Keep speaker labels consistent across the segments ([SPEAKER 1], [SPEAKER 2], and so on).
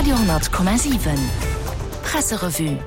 [SPEAKER 1] Radio 10,7 Presserevue.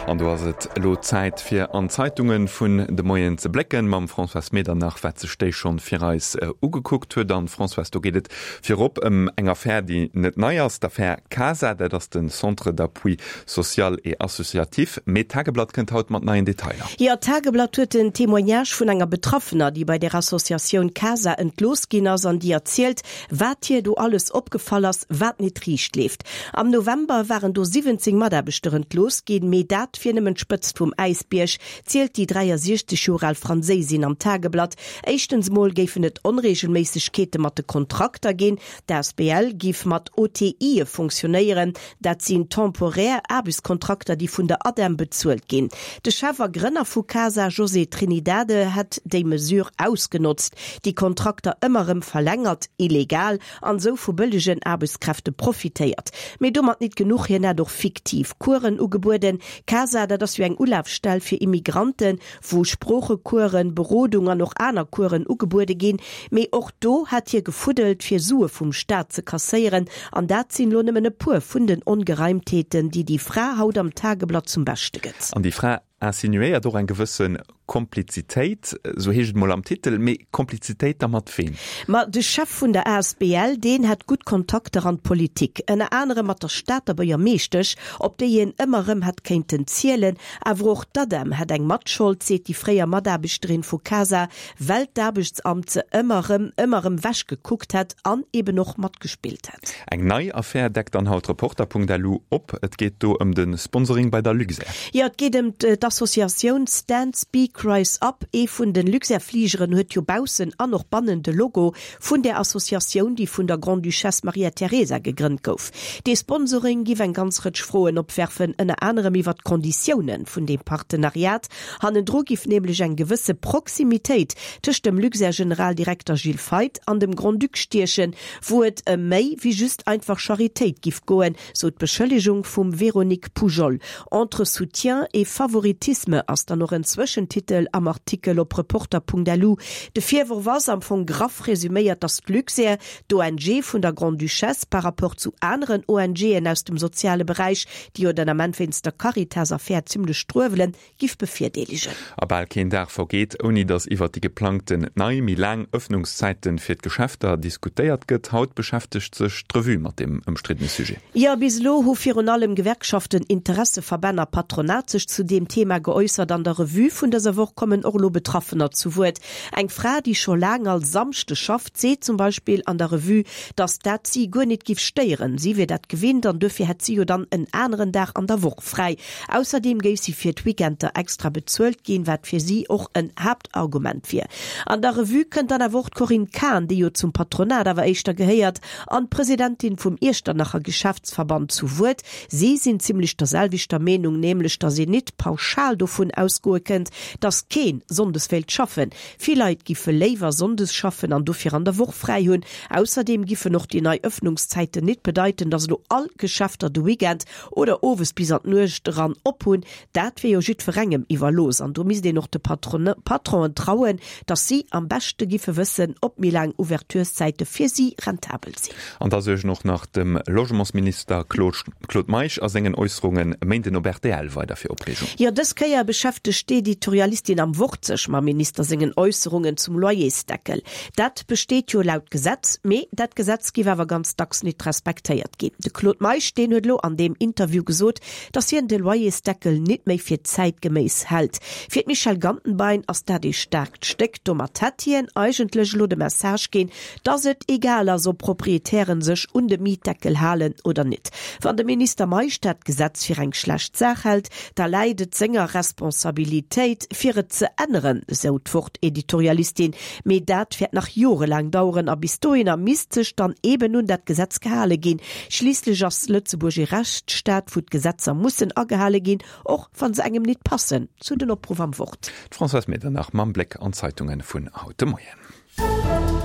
[SPEAKER 2] An do ass et elo Zäit fir an d'Zeitunge vun de Moien ze blécken, mam Françoise Medernach, wat sech déi schonn fir eis ugekuckt huet. An Françoise, do geet et virop ëm eng Affär, déi net nei ass, d'Affär CASA, dat ass de Centre d'appui social et associatif. Mee d'Tageblatt kënnt haut mat neien Detailer.
[SPEAKER 3] Jo, d'Tageblatt huet en Témoignage vun enger Betraffener, déi bei der Associatioun CASA entlooss ginn ass an déi erzielt, Wat hir do alles opgefall ass, wat nit riicht leeft. Am November waren do 17 Mataarbechter entlooss ginn, mee dat wier nëmmen d'Spëtzt vum Äisbierg, zielt déi 63 Joer al Franséisin am Tageblatt. Éischtens mol géifen et Onreegelméissegkeete mat de Kontrakter ginn. D'asbl giff mat OTIe fonctionnéieren, Dat sinn temporär Aarbechtskontrakter, déi vun der ADEM bezuelt ginn. De Chef a Grënner vu Casa, José Trinidade, hätt déi Mesure ausgenotzt, déi Kontrakter ëmmer erëm verlängert, illegal, an esou vu bëllegen Aarbechtskräfte profitéiert. Mee domat nit genuch, hien hätt och fiktiv Coursen ugebueden. Casa, dat ass jo eng Ulafstell fir Immigranten, wou Sproochecoursen, Berodung an och aner Coursen ugebuede ginn, mee och do hätt hie gefuddelt, fir Sue vum Staat ze kasséieren. An dat sinn elo nëmmen e puer vun den Ongereimtheeten, déi déi Fra haut am Tageblatt zum Beschte gëtt.
[SPEAKER 2] An déi Fra insinuéiert och eng gewësse Komplizitéit, esou heescht et mol am Titel. Mee Komplizitéit da mat weem?
[SPEAKER 3] Ma de Chef vun der asbl, deen hätt gutt Kontakter an d'Politik, ënner anerem mat der Stater Buergermeeschtesch, op déi een ëmmer erëm hätt kéinten zielen. Awer och d'ADEM hätt eng Matschold, seet déi fréier Mataarbechterin vu Casa, well d'Aarbechtsamt se ëmmer erëm, ëmmer erëm wech gekuckt hätt an eben och matgespillt hätt.
[SPEAKER 2] Eng nei Affär deckt dann haut Reporter.lu op. Et geet do ëm de Sponsoring bei der Luxair.
[SPEAKER 3] Jo, et geet ëm d'Associatioun Stand Speak Rise Up. Ee vun de Luxair-Fligeren huet jo baussen an och bannen de Logo vun där Associatioun, déi vun der Grande-Duchesse Maria Teresa gegrënnt gouf. Dee Sponsoring giff eng ganz Rëtsch Froen opwerfen, ënner anerem iwwer d'Konditioune vun deem Partenariat. Hannendru giff nämlech eng gewësse Proximitéit tëscht dem Luxair-Generaldirekter Gilles Feith an dem Grand-Duc stiechen, wou et ëm méi wéi just einfach Charitéit giff goen, sou d'Beschëllegung vum Véronique Poujol. Entre soutien et favoritisme ass dann och en Zwëschentitel am Artikel op Reporter.lu. De Virworf ass, am Fong graff resuméiert, datt d'Luxair, d'ONG vun der Grande-Duchesse, par rapport zu aneren ONGen aus dem soziale Beräich, déi jo den Ament wéinst der Caritas-Affär zimmlech struewelen, giff bevirdeelegen.
[SPEAKER 2] A bal keen Dag vergeet, ouni datt iwwert déi geplangten nei, méi laang Ëffnungszäite fir d'Geschäfter diskutéiert gëtt. Haut beschäftegt sech d'Revue mat deem ëmstriddene Sujet.
[SPEAKER 3] Jo, bis elo hu virun allem Gewerkschaften, Interesseverbänn a Patronat sech zu deem Thema geäussert. An der Revue vun dëser Woch kommen och elo Betraffener zu Wuert. Eng Fra, déi scho laang all Samschde schafft, seet zum Beispill an der Revue, datt dat si guer nit giff stéieren. Si wier dat gewinnt an duerfir hätt si jo dann en aneren Dag an der Woch fräi. Ausserdeem géif si fir d'Weekender extra bezuelt ginn, wat fir si och en Haaptargument wier. An der Revue kënnt dann awer och d'Corinne Cahen, déi jo zum Patronat awer éischter gehéiert, an d'Presidentin vum Iechternacher Geschäftsverband zu Wuert. Si sinn zimmlech der selwechter Meenung, nämlech datt een nit pauschal dovun ausgoe kënnt, datt keen sonndes wéilt schaffen. Vill Leit giffe léiwer sonndes schaffen an dofir an der Woch fräi hunn. Ausserdeem giffen och déi nei Ëffnungszäiten nit bedeiten, datt elo all Geschäfter de Weekend oder owes bis an d'Nuecht eran op hunn, dat wier jo jiddwerengem iwwerlooss an do misst een och de Patronen trauen, datt si am beschte giffe wëssen, ob méi laang Ouvertureszäite fir si rentabel sinn.
[SPEAKER 2] An da suergen och nach dem Logementsminister Claude Meisch a sengen Äusserungen e Méinden op rtl weider fir Opreegung.
[SPEAKER 3] Jo, dës Kéier beschäftegt d'Editorialistin am Wort sech mam Minister sengen Äusserungen zum Loyersdeckel. Dat besteet jo laut Gesetz, mee dat Gesetz giff awer ganz dacks nit respektéiert ginn. De Claude Meisch, deen huet elo an deem Interview gesot, datt hien de Loyersdeckel nit méi fir zäitgeméiss hält. Fir d'Michèle Gantenbein ass dat ee staarkt Stéck. Domat hätt hien eigentlech elo de Message ginn, datt et egal ass, ob Proprietären sech un de Mietdeckel halen oder nit. Wann de Minister Meisch dat Gesetz fir eng schlecht Saach hält, da läit et senger Responsabilitéit, fir et ze änneren, esou d'Wort-Editorialistin. Mee dat wäert nach jorelaang daueren a bis dohinner misst sech dann eben un dat Gesetz gehale ginn. Schliisslech ass Lëtzebuerg ee Rechtsstaat, wou d'Gesetzer mussen agehale ginn, och wa se engem nit passen, sou den Opruff am Wort.
[SPEAKER 2] D'Françoise Medernach mam Bléck an d'Zeitunge vun haut de Moien.